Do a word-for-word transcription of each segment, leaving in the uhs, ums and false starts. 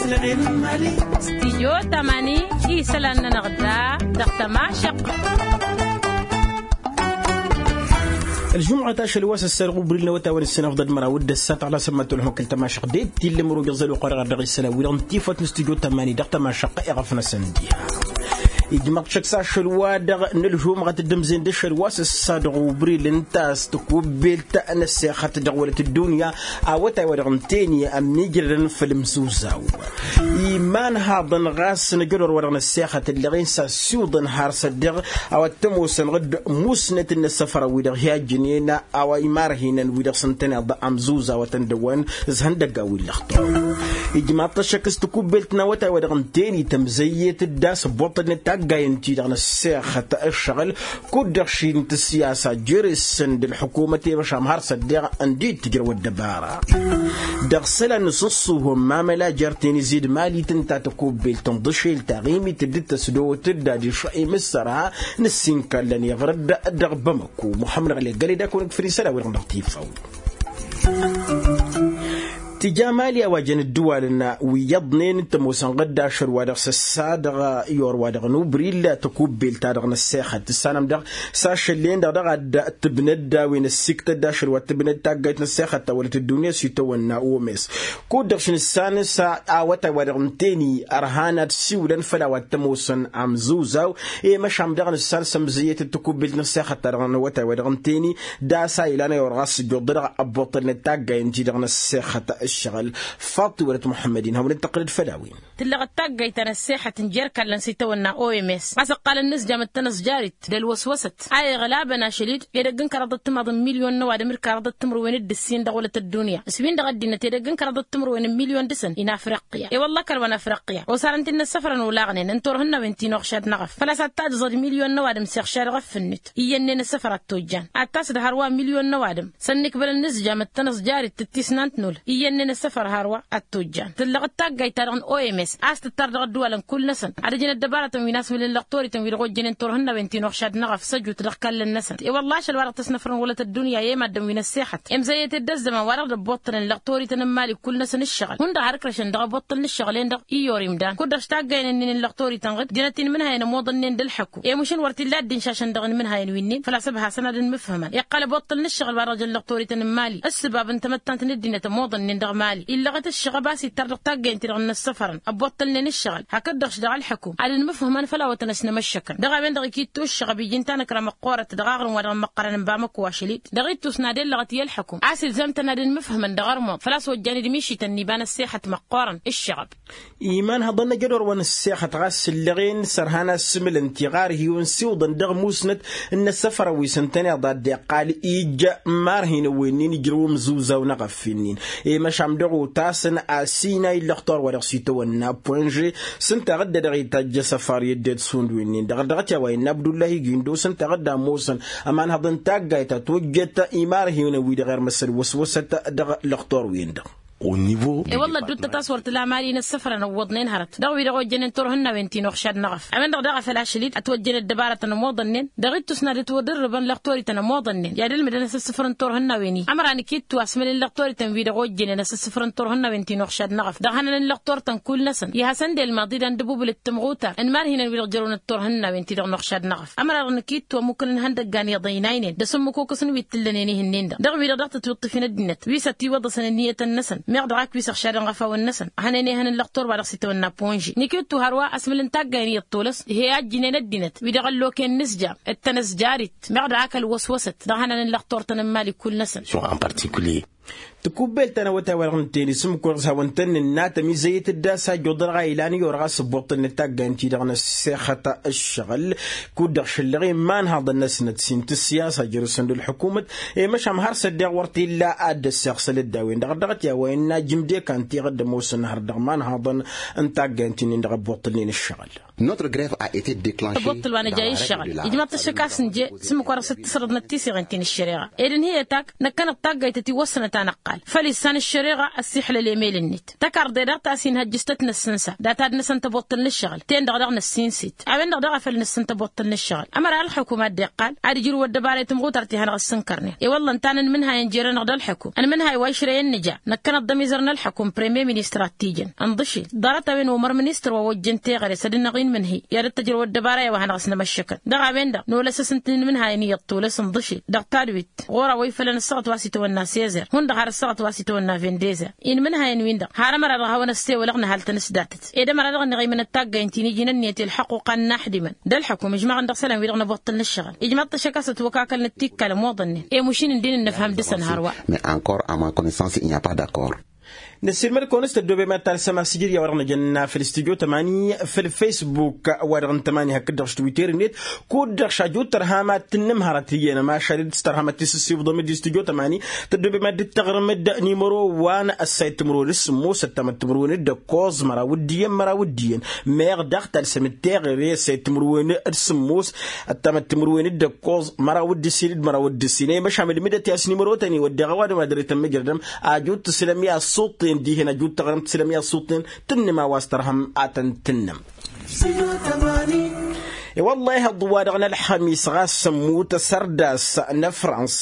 Stijyo tamani isălan-nănăɣ da dăɣ-tămašăqq. Ălžumɣăt ašăl wa s-ăssărɣ ubril n-awătawăn s-sănăfḍăd măraw d-ăssat ɣlasăn mătolhăn kăl-tămašăqq d-e t-illăm rogăẓ ălwăqq wa dăɣ-isălan wi-dăɣ n-tifăt n-stijyo tamani dăɣ-tămašăqq iɣăf-năsăn diha. Ijmaḍ šăkk s-ašăl-wa-dăɣ n-ălžumɣăt d-ǝmzen d-ašăl wa s-ăssadăɣ ubril ǝnta a-s tăkubbelt n-ăssexăt dăɣ-wălăt ăddunya awătay-wa-dăɣ ǝntăyni ămmiijrădăn făll-imsuzaw. Imanhaḍăn ɣas n-ajădor-wa-dăɣ n-ăssexăt ǝlleɣ-in s-assiwǝḍăn har s-ăddeɣ a-wa t-ămoosăn ɣǝd musnăt n-inăssăfărăn-wi-dăɣ hi-ajjǝnen a-wa imarhinăn-wi-dăɣ s-ǝntăneḍ amzuzawătăn dăwăn s-ihăndăggan wi n-lăxtur. Ijmaḍ-t ăššăk s-tăkubbelt n-awătay-wa-dăɣ ǝntăyni tămzăyyet d-a-s ăbbuṭṭălnen taggayăn-ti-dăɣ n-ăssexăt ǝššăɣǝl kud-dăɣ šintǝs i-a-s ajere-săn d-ălḥukumăt i-măšam har s-ăddeɣ ǝndi d-tǝjrăw ăddăbara. Dăɣ-isălan n-asǝṣṣuhăm mamăla jer-tenǝzi d-mali tǝnta tăkubbelt n-iḍǝšel taɣimit dd-tăsdot d-adiš imǝssărha n-ǝssin kallăn iɣrǝd dăɣ-bamăko muḥămmăd ɣăle găle d-ad-kăwăn-ǝgfǝr isălan-wi-dăɣ dăɣ-tifawt. Tǝja mali a-wa jăn ǝddǝwalăn wi iyyăḍnen t-ămoosăn ɣǝdda ašăl-wa-dăɣ s-ăssa dăɣ-i or-wa-dăɣ n-ubril tăkubbelt-ta-dăɣ n-ăssexăt tǝssanăm-dăɣ s-ašăl-en-dăɣ dăɣ-ad-tǝbnăd a-wen ăssiktăd ašăl wa t-tǝbnăd taggayt n-ăssexăt ta wălăt ăddunya s-itawănna omes. Kud-dăɣ šinǝssan s-awătay-wa-dăɣ n-teni ărhan ad-siwlăn făll-a-wa t-ămoosăn amzǝwzaw i-măšan dăɣ-nǝssan s-ămzǝyyăt d-tăkubbelt n-ăssexăt-ta-dăɣ n-awătay-wa-dăɣ n-teni d-a-s a ilan i-orɣas s-ǝjjuḍ dăɣ-ăbbuṭṭălnet taggayăn-ti-dăɣ n-ăssexăt ǝššăɣǝl. Faḍt-i wălăt muḥămmăd-in hawăn-dd-tăqqǝlăd făll-a-wen. Tǝllăɣ d-taggayt ta n-ăssexăt n-jer-kallăn s-itawănna oms ɣas ǝqqalăn n-inǝzjam d-tanăẓjarit d-ălwăswăsăt a iɣlabăn ašăl-dd edăgg n-kăraḍăt timaḍ n-milyon n-ăwadǝm d-kăraḍăt timǝrwen d-ǝssin dăɣ-wălăt ăddunya ǝswin-dăɣ ăddinăt edăgg n-kăraḍăt timǝrwen n-milyon dăɣ-săn inafrăqqǝya i-wălla kăl-wa n-afrăqqǝya osarăn-t-in n-ăssăfărăn olaɣnen n-turhǝnnawen ti n-oɣšad n-eɣăf făl-a-s ad-tajẓăd milyon n-ăwadǝm s-iɣšad eɣăf fǝnnǝt iyyănnen ăssăfăr ad-tojjan ad-tasǝd hărwa milyon n-ăwadǝm s-ănnikbălăn n-ǝzjam d-tanăẓjarit d-tisnant n-ul iyyănnen ăssăfăr hărwa ad-tojjan tǝllăɣ d-taggayt-ta-dăɣ n-oms a-s tǝttar dăɣ-ăddǝwalăn kull-năsăn ad-ǝjǝn ăddăbarătăn wi n-asmǝlǝn lăqtoriten wi dăɣ-ojjănen turhǝnnawen ti n-oɣšad n-eɣăf s-ăjut dăɣ-kallăn-năsăn i-wălla ašăl wa dăɣ-tăsnăfrăn wălăt ăddunya i-maddǝn wi n-ăssexăt imzăyyăt-dd ăzzăman wa dăɣ-dd-ăbbuṭṭălnen lăqtoriten n-imali kull-năsăn ǝššăɣǝl hundăɣ har ǝkrăšăn dăɣ-ăbbuṭṭăl n-ǝššăɣǝl-en-dăɣ i-orimdan kud-dăɣ s-taggaynen-nin n-lăqtoriten ɣǝd jănăt-in imǝnhayăn ămoḍănnen d-ǝlḥăkku i-mušǝn wăr t-illa ăddin šašăn dăɣ-inmǝnhayăn wi-nin făl-a-s ăbhasăn ad-ănmǝfhǝmăn iqqăl ăbbuṭṭăl n-ǝššăɣǝl wa dăɣ-jăn lăqtoriten n-imali ǝssǝbab n-tamăttant n-ăddinăt ămoḍănnen dăɣ-imali illăɣăt ǝššăɣăb a-s ittar dăɣ-taggayăn-ti-dăɣ n-inăssăfărăn ăbbuṭṭălnen ǝššăɣǝl hakd-dăɣ-š daɣ ălḥăkum ad-ănmǝfhǝmăn făll-a-wătăn ăsnămăššăkăn dăɣ-a-wen-dăɣ ikittu ǝššăɣăb iji n-tanăkra măqqoorăt dăɣ-aɣrǝm wa dăɣ-ămmăqqărăn n-bamăko ašăl-dd dăɣ-ittus n-ad-ellăɣăt i-ălḥăkum a-s ilzam-tăn ad-ănmǝfhǝmăn dăɣ-ărmuḍ făl-a-s ojjan d-mišităn n-iba n-ăssexăt măqqoorăn ǝššăɣăb. Iman hăḍăn ajădor wa n-ăssexăt ɣas ǝllăɣen s-ărhan asǝmǝlăn tiɣarhiwen siwǝḍăn dăɣ-musnăt n-inăssăfărăn wi s-ǝntăneḍ a dd-iqqal ijjă imarhinăn wi-nin ijrăw ămzǝwzaw n-eɣăf-in-in i-măšan dăɣ-otasăn asinay n-lăxtor wa dăɣ-s itawănna poinže s-ǝnta ɣǝdda dăɣ-itajj asăfar i-ăddinăt šund wi-nin-dăɣ dăɣ-t i-a-wa innă abdullahi gindo s-ǝnta ɣǝdda ămoosăn ămanhăḍ n-taggayt ta tojjăt imarhinăn-wi-dăɣ irmăsăd wăswăsăt dăɣ-lăxtor-win-dăɣ. E-wălla ădduuttăt a-s wăr t-la mali n-ăssăfărăn ăwwăḍnen hărăt dăɣ-wi-dăɣ ojjănen turhǝnnawen ti n-oɣšad n-eɣăf a-wen-dăɣ daɣ a făl ašăl-dd ătwăjjăn ăddăbarătăn ămoḍănnen dăɣ-ittus n-ad-ǝtwădǝrrǝbăn lăxtorităn ămoḍănnen i-ad-ǝlmǝdăn asǝssǝfăr n-turhǝnnawen-i ămăra nǝkittu asmǝl n-lăxtorităn-wi-dăɣ ojjănen asǝssǝfăr n-turhǝnnawen ti n-oɣšad n-eɣăf dăɣ-hanăn n-lăxtortăn kull-năsăn i-hasăn-dd-elmaḍ-dd anǝdǝbubǝl d-tǝmɣutar n-imarhinăn-wi-dăɣ jărăwnăt turhǝnnawen-ti-dăɣ n-oɣšad n-eɣăf ămăra-dăɣ nǝkittu ămmukǝl n-ihăndăggan iḍăynaynen d-asǝmmǝk okăs n-wi t-ǝllănen ihǝnnen-dăɣ dăɣ-wi-dăɣ daɣ tătwǝṭṭǝf-in ăddinăt wi s-ătiwăḍăsăn ǝnniyătăn-năsăn meɣ dăɣ-ak wi s-ăɣšadăn ɣăfawăn-năsăn ad-hanăn ehăn n-lăxtor wa dăɣ-s itawănna ponži nikittu hărwa asmǝl n-taggay n-iyyăḍ tolăs he-ajjǝnen ăddinăt wi dăɣ-ălloken n-ǝzjam d-tanăzjarit meɣ dăɣ-ak ălwăswăsăt dăɣ-hanăn n-lăxtor-tăn n-imali kull-năsăn. Tikubbelt ta n-awătay wa dăɣ-nǝttenǝs ǝmmǝk-wăr s-hawăn-tăn-nǝnna tămizăyăt d-a-s ajjuḍ dăɣ-a ilan i-orăɣ a-s ăbbuṭṭălnăt taggay-n-ti-dăɣ n-ăssexăt ǝššăɣǝl kud-dăɣ šăllăɣ i-imanhaḍăn-năsnăt s-intǝssi a-s ajrǝsăn d-ălḥukumăt i-măšan har s-ăddeɣ wăr t-illa ad-dd-ăssiɣsăl dd-a-wen-dăɣ dăɣ-t i-a-wa innă ajǝm d-ekan tiɣǝd ămoosăn hărăt dăɣ-imanhaḍăn n-taggay-n-ti-nin-dăɣ ăbbuṭṭălnen ǝššăɣǝl. Năboṭṭăl wa nǝja i-ǝššăɣǝl ijmaḍ-t ăššăk a-s nǝje s-ǝmmǝk wa dăɣ-s dd-tǝsrǝḍnăt tisiɣen ti n-ăššăreɣa ed ǝnhǝyăt ak năkkăneḍ taggayt ătiwăssănăt a năqqal făl issan ăššăreɣa ăssiixlăl emel-net tăkarḍe daɣ ta s-inhăjjǝs tăt-năssǝnsa data d-năsăn tăboṭṭăl n-ǝššăɣǝl ten-dăɣ daɣ năssinsǝt a-wen-dăɣ daɣ a făl nǝssǝn tăboṭṭăl n-ǝššăɣǝl ămăra ălxukum a dd-iqqal ad-ǝjrǝw ăddăbara i-tǝmɣutar ti hanăɣ-ăssǝnkărnen i-wălla ǝnta a nǝnmǝnhay ănjere-năɣ d-ălxukum ănmǝnhay wa išrăyăn nǝja năkkăneḍ d-ămizăr n-ălxukum premier ministăr ad-t-ijăn ǝnḍǝšil ḍarăt-a-wen omăr ministăr wa ojjăn teɣăre s-ad-dd-năɣ-inmǝnhǝy i-ad-dd-tăjrăw ăddăbara i-wa hanăɣ-s nămăššăkăn dăɣ-a-wen-dăɣ nolăs a-s ǝntǝn inmǝnhay n-iyyăḍ tulăs ǝnḍǝšil dăɣ-tadwit ɣur-a wa ifălăn ăssaɣăt wa s-itawănna sezer hundăɣ har ăssaɣăt wa s-itawănna vendezer inmǝnhayăn-win-dăɣ har ămăra dăɣ-hawăn-ăssewălăɣ nǝhal-tăn s-datăt ed ămăra dăɣ-ănniɣ imǝnăt taggayǝn ti n-iji n-ǝnniyăt i-ălxăqquqa n-inaxdimăn d-ălxăkum ǝžmaɣăn dăɣ-isălan-wi-dăɣ n-ăboṭṭăl n-ǝššăɣǝl ijmaḍ-t ăššăk a-s ătwăkakălnăt tikkal ămoḍănnen i-mušin ǝndin ǝnnăfham dăɣ-săn hărwa. Mais encore à ma connaissance il n'y a pas d'accord. Năssiilmăd-kăwăn s-tăddoobem ad-talsăm asǝjǝd i-a-wa-dăɣ nǝjănna făll-stujo tămani făll-facebook wa-dăɣ n-tămani hakd-dăɣ s-twitter-net kud-dăɣ šajut tărham ad-t-ǝnnǝm hărăt iyyăn ămašal d-s tărham ad-t-isǝssibḍăm d-stujo tămani tăddoobem ad-dd-tăɣrǝm d-nimăro wa n-ăssayăt timǝrwen d-sǝmmos ăttamăt timǝrwen d-ăkkoẓ măraw d-iyyăn măraw d-iyyăn meɣ daɣ talsăm d-teɣăre ăssayăt timǝrwen d-sǝmmos ăttamăt timǝrwen d-ăkkoẓ măraw d-ǝssin d-măraw d-ǝssin ăymăšam d-mǝdăt i-asnimărotăn-i wădden a-wa dăɣ-madăr-i tămmǝjrădăm ajut tǝslăm i-asuṭṭen dihen ajut tăɣrǝm tǝslăm i-asuṭṭen tǝnnǝm a-wa s-tărhăm ad-tăn-tǝnnǝm. I-wălla ihăḍ wa-dăɣ n-ălxămis ɣas ămmut asărdas n-afrans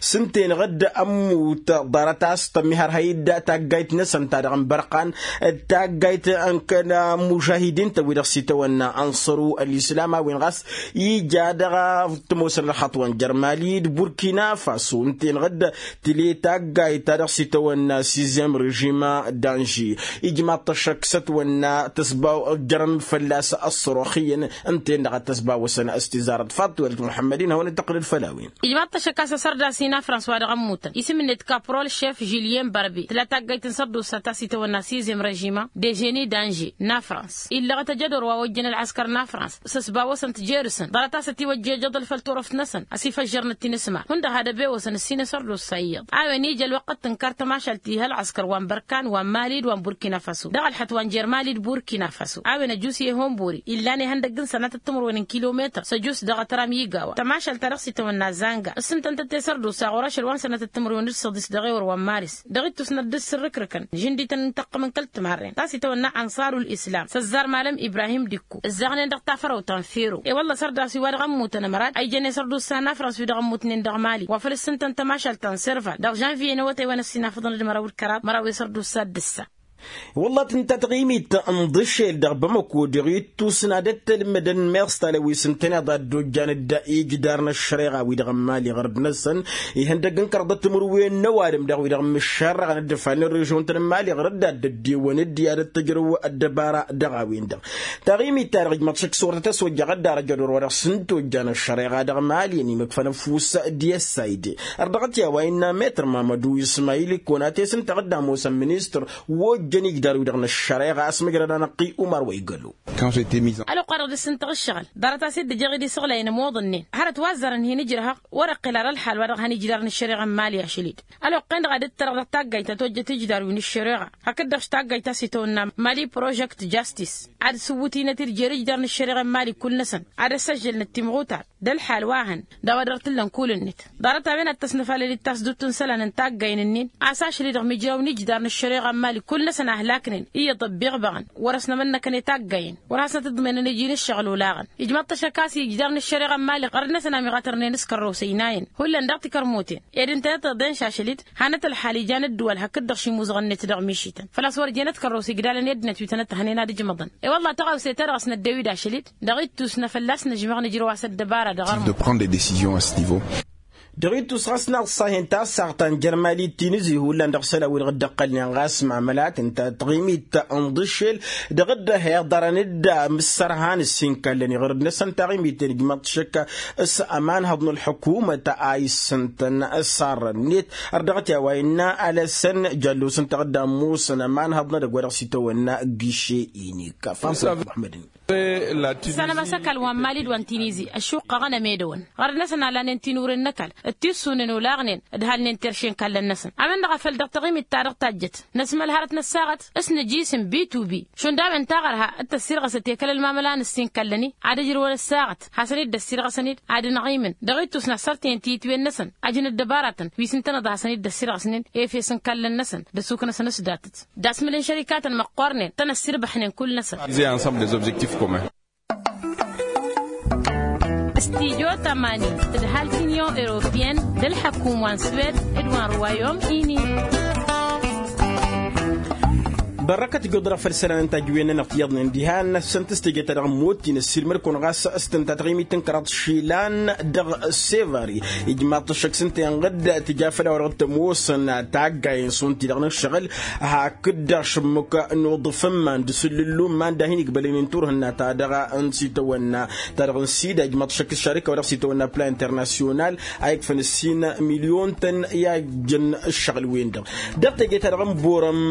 s-ǝnta-enăɣ dd-ămmut ḍarăt a-s tămmihărhăy-dd taggayt-năsăn ta dăɣ-n bărqan d-taggayt n-kăla mužahidin-tăn wi-dăɣ s-itawănna ănṣăru ălislam a-wen ɣas ija dăɣ-a t-ămoosăn ălxaṭṭ wa n-jer mali d-burkina faso ǝnta-enăɣ dd-tǝle taggayt ta dăɣ-s itawănna sizyem režima d-anži ijmaḍ-t ăššăk s-ătwănna tăsbaw jărăn fălla-s ăṣṣărox iyyăn ǝnta-en-dăɣ ad-tăsbawăsăn s-tizarăt faḍt-welăt muḥămmăd-in hawăn-dd-tăqqǝlăd făll-a-wen. Ijmaḍ-t ăššăk a-s asărdas-i n-afrans wa dăɣ-ămmutăn isǝm-net kaprol šef žilyen bărbi tǝla taggayt n-sărdusa ta s-itawănna sizyem režima deženi danže n-afrans illăɣăt ăjădor wa ojjăn ălɣăskăr n-afrans s-ăsbawăsăn-t jer-săn ḍarăt a-s ătiwăjja ijăḍăl făll-turăft-năsăn ăsifăžžărnăt-in s-ma hundăɣ had-ăbewăsăn ǝssin asărdusa iyyăḍ a-wen ija ălwăqqăt tǝnkar tămašalt ti ha ălɣăskăr wa n-bărkan wa n-mali d-wa n-burkina faso dăɣ-ălxăt wa n-jer mali d-burkina faso a-wen ăjus i-ehonbori illan ihăndăgg n-sănatăt timǝrwen n-kilometăr s-ăjus dăɣ-atram iga wa tămašalt ta dăɣ-s itawănna zanga ǝssǝntăn-tăt i-sărdusa ɣur-ašăl wa n-sănatăt timǝrwen d-săḍis dăɣ-ewăr wa n-maris dăɣ-ittus n-ad-dd-s ǝrrǝkrǝkăn žǝndităn n-tăqqǝmăn kăl-timarren ta s-itawănna ănṣarul islam s-ăzzar malăm ibrahim dikko ǝzzaɣnen dăɣ-tafărăwt ta n-fero i-wălla sărdas wi wa dăɣ-ămmutăn ămărad a ijăn i-sărdusa n-afrans wi dăɣ-ămmutnen dăɣ-mali wa făl ǝssǝntăn tămašalt ta n-serval dăɣ-žănviye n-awătay wa n-ăssinafăḍăn d-măraw d-kăraḍ măraw i-sărdusa d-ǝssa. Wălla tǝnta taɣimit n-ḍǝšel dăɣ-bamăko dăɣ-ittus n-ad-ăttălmădăn meẓ talăwis n-tăneḍ ad-dd-ojjan d-ijdar n-ăššăreɣa wi-dăɣ n-mali ɣărd-năsăn ihăndăgg n-kărḍăt timǝrwen n-ăwadǝm daɣ wi-dăɣ mǝššărrăɣăn d-ǝfal n-režion-tăn n-mali ɣărd ad-dd-ăddiwăn d-i ad-ăttăjrăw ăddăbara dăɣ-a-wen-dăɣ. Taɣimit-ta-dăɣ ijmăḍ šăkk s-wăr tăt-ăswăjjăɣ dd-arăjădor wa dăɣ-s n-tojja n-ăššăreɣa dăɣ-mali ănimăkfăn ăfuss d-i ăssayde. Ărdăɣăt i-a-wa innă metăr mamădu ismayil ikkăwăn-at-e-s ǝnta ɣǝdda ămoosăn ministăr wa ojjăn ijdar-wi-dăɣ n-ăššăreɣa a-s măjrăd anăqqi umar wa igălo. Ălwăqq-wa-dăɣ dăr-s ǝntăɣ ǝššăɣǝl ḍarăt a-s dd-ǝjăɣ-dd isăɣlay n-ămoḍănnen hărăt wa ăzzarăn hin-ǝjrăhăɣ wăr-iqqǝl ara ălḥal wa dăɣ-hăn ijdar n-ăššăreɣa n-mali ašăl-dd. Ălwăqq-en-dăɣ ad-dd-tărăɣ dăɣ-taggayt ta tojjăt ijdar wi n-ăššăreɣa hakd-dăɣ taggayt ta s-itawănna mali prožăkt jastis ad-sǝwwǝtinăt-dd jer-ijdar n-ăššăreɣa n-mali kull-năsăn ad-ăssăžžălnăt timɣutar d-ălḥal wa hăn d-a-wa dăr-t ǝllăn kull-net. Ḍarăt-a-wen ad-tăsnăfalăl d-tasdut n-isălan n-taggayen-nin a-s ašăl-i-dăɣ mijraw n-ijdar n-ăššăreɣa n-mali kull-năsăn a ăhlaknen iyyăḍ ăbbiɣbăɣăn wăr-ăsnămănnăkăn i-taggayen wăr hasnăt-ǝḍmăynăn iji n-ǝššăɣǝl olaɣăn. Ijmaḍ-t ăššăk a-s ijdar n-ăššăreɣa n-mali ɣărd-năsăn a miɣatărnen s-kărrăwsăy n-ayen hullan dăɣ-tikărmoten ed ǝntănăt iḍen šašăl-dd hannăt ălḥal ijan ǝddǝwăl hakd-dăɣ šimuzăɣ-net dăɣ-mišităn făl-a-s wăr jenăt kărrăwsăy igdalăn i-ăddinăt wi tănăt-tahnen ad-ǝjmăḍăn. I-wălla tăɣawse-ta-dăɣ a-s năddew-dd ašăl-dd dăɣ-ittus n-afălla a-s năžmăɣ nǝjrăw a-s ăddăbara dăɣ-ărmăḍ. De prendre des décisions à ce niveau. Dăɣ-ittus ɣas n-aḍsa-hen tasaɣt ta n-jer-mali d-tinǝzi hullan dăɣ-isălan-wi-dăɣ dd-ăqqălnen ɣas mamălat ǝnta taɣimit n-iḍǝššel dăɣ-dd-ăhiḍărăn-dd amǝssărhan ǝssin kallăn iɣărd-năsăn taɣimit-en ijmăḍ-t šăkk s-ămanhăḍ n-ălḥukumăt a issǝntăn s-arrănet. Ărdăɣăt i-a-wa innă alăsăn jallos ǝnta dd-ămmusăn ămanhăḍ n-edăgg wa dăɣ-s itawănna giše inik. Fănsa muḥămmăd-in. Sănămăs ăkall wa n-mali d-wa n-tinizi ăššuqqăɣăn ămedăwăn ɣărăd-năsăn a lanen tinuren n-ăkall d-tissunen olaɣnen d-halnen terše n-kallăn-năsăn. A-wen-dăɣ a făl dăɣ-taɣimit-ta-dăɣ tajjăt năsmăl hărăt n-ăssaɣăt s-nǝjisǝm bitubi šund a-wen taɣărha d-tăssirɣăsăt i-kăl-ălmamăla n-ǝssin kallăn-i ad-ǝjrǝwăn ăssaɣăt hasăn-dd-ăssirɣăsăn-dd ad-ănɣimǝn dăɣ-ittus n-ad-sărtăyăn tiyǝtwen-năsăn. Ăjǝn ăddăbaratăn wi s-ǝntăneḍ a hasăn-dd-ăssirɣăsnen efes n-kallăn-năsăn d-ăssuknăsăn s-datăt d-asmǝl n-šărikatăn măqqoornen tăn-ăssirbăḥnen kull-năsăn. S-tidyo tămani d-halk union europeyăn d-ălḥăkum wa n-swed d-wa n-ruwayom ini. Bărrăkăt ijod-dăɣ făll-isălan n-tajǝwen-nănăɣ tiyyăḍnen diha n-assăn tǝstejăt-ta-dăɣ n-motin ăssiilmăd-kăwăn ɣas s-tǝnta taɣimit n-kăraḍ išilan dăɣ-sevari. Ijmaḍ-t ăššăk s-ǝnta inɣǝd tǝja făll-a-wa dăɣ-t ămoosăn taggayen šund ti-dăɣ n-ǝššăɣǝl hakd ašǝmmuk n-uḍǝf n-iman d-asǝllǝllu n-iman d-ad-hin-igbălăn n-turhǝnna-ta-dăɣ n-sitawănna-ta-dăɣ n-sida ijmaḍ-t ăššăk s-išarika wa dăɣ-sitawănna plan internasyonal a ikfăn ǝssin milyon-tăn i-ajjăn ǝššăɣǝl-wen-dăɣ. Dăɣ-teje-ta-dăɣ n-borăm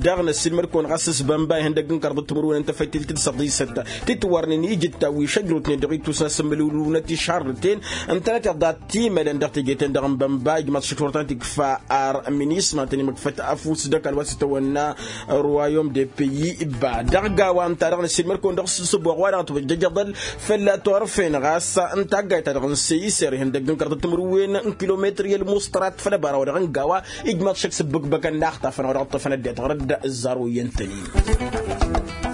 daɣ n-ăssiilmăd-kăwăn ɣas s-bănba ihăndăgg n-kăraḍăt timǝrwen n-tefăytelt d-săḍisăt titwărnen ijǝttawwi šăjrutnen dăɣ-ittus n-asǝmmǝlǝwlǝw n-ătišarrǝten ǝntănăteḍ dat-imălăn dăɣ-teje-ten-dăɣ n-bănba ijmaḍ-t šăk turăt n-tikfa ar minisma tăn-imǝkfăt afus d-ăkall wa s-itawănna ruwayom de peyi. Ba dăɣ-gawa ǝnta-dăɣ n-ăssiilmăd-kăwăn dăɣ-s s-ăboɣ wa dăɣ-tăwăjjăj aḍăl fălla turăfen ɣas n-taggayt-ta-dăɣ n-săyser ihăndăgg n-kăraḍăt timǝrwen n-kilometri ălmuṣṭărat făll-ăbara wa dăɣ-n gawa ijmaḍ-t šăk s-ǝbbǝkbăkăn n-axtafăn wa dăɣ-ǝṭṭăfăn ăddinăt ɣur-dd ăzzar oyyăn-tăn-in.